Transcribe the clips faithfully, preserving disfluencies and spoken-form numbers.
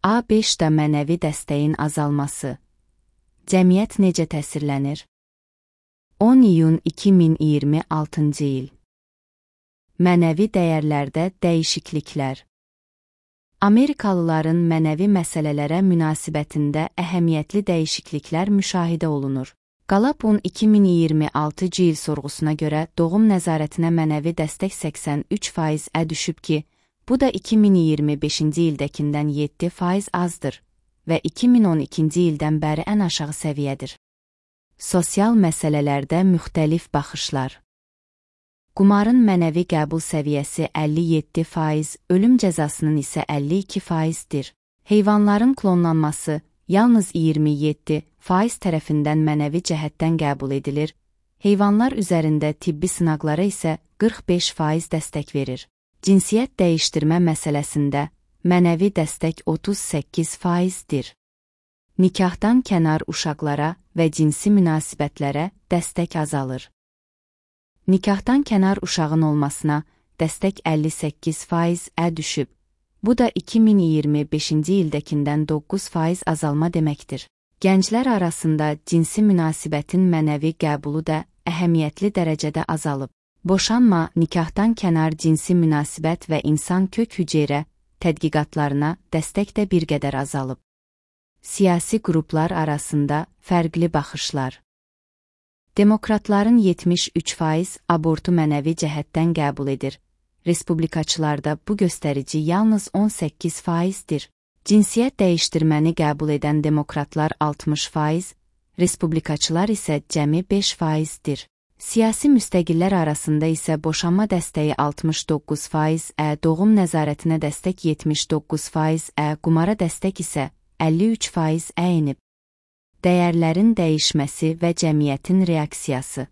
A beşdə mənəvi dəstəyin azalması. Cəmiyyət necə təsirlənir? on iyun iki min iyirmi altıncı il. Mənəvi dəyərlərdə dəyişikliklər. Amerikalıların mənəvi məsələlərə münasibətində əhəmiyyətli dəyişikliklər müşahidə olunur. Galapun iki min iyirmi altıncı il sorğusuna görə doğum nəzarətinə mənəvi dəstək səksən üç faizə düşüb ki, bu da iki min iyirmi beşinci ildəkindən yeddi faiz azdır və iki min on ikinci ildən bəri ən aşağı səviyyədir. Sosial məsələlərdə müxtəlif baxışlar. Qumarın mənəvi qəbul səviyyəsi əlli yeddi faiz, ölüm cəzasının isə əlli iki faizdir. Heyvanların klonlanması yalnız iyirmi yeddi faiz tərəfindən mənəvi cəhətdən qəbul edilir, heyvanlar üzərində tibbi sınaqlara isə qırx beş faiz dəstək verir. Cinsiyyət dəyişdirmə məsələsində mənəvi dəstək otuz səkkiz faizdir. Nikahdan kənar uşaqlara və cinsi münasibətlərə dəstək azalır. Nikahdan kənar uşağın olmasına dəstək əlli səkkiz faizə düşüb. Bu da iki min iyirmi beşinci ildəkindən doqquz faiz azalma deməkdir. Gənclər arasında cinsi münasibətin mənəvi qəbulu da əhəmiyyətli dərəcədə azalıb. Boşanma, nikahdan kənar cinsi münasibət və insan kök hüceyrə tədqiqatlarına dəstək də bir qədər azalıb. Siyasi qruplar arasında fərqli baxışlar. Demokratların yetmiş üç faiz abortu mənəvi cəhətdən qəbul edir. Respublikaçılarda bu göstərici yalnız on səkkiz faizdir. Cinsiyyət dəyişdirməni qəbul edən demokratlar altmış faiz, respublikaçılar isə cəmi beş faizdir. Siyasi müstəqillər arasında isə boşanma dəstəyi altmış doqquz faizə, doğum nəzarətinə dəstək yetmiş doqquz faizə, qumara dəstək isə əlli üç faizə enib. Dəyərlərin dəyişməsi və cəmiyyətin reaksiyası.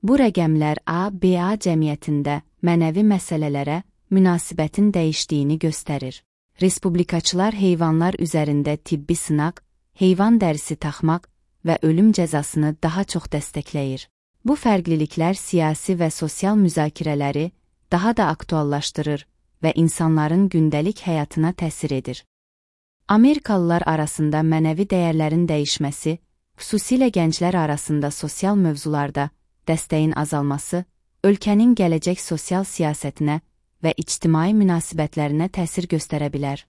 Bu rəqəmlər A B A cəmiyyətində mənəvi məsələlərə münasibətin dəyişdiyini göstərir. Respublikaçılar heyvanlar üzərində tibbi sınaq, heyvan dərisi taxmaq və ölüm cəzasını daha çox dəstəkləyir. Bu fərqliliklər siyasi və sosial müzakirələri daha da aktuallaşdırır və insanların gündəlik həyatına təsir edir. Amerikalılar arasında mənəvi dəyərlərin dəyişməsi, xüsusilə gənclər arasında sosial mövzularda dəstəyin azalması, ölkənin gələcək sosial siyasətinə və ictimai münasibətlərinə təsir göstərə bilər.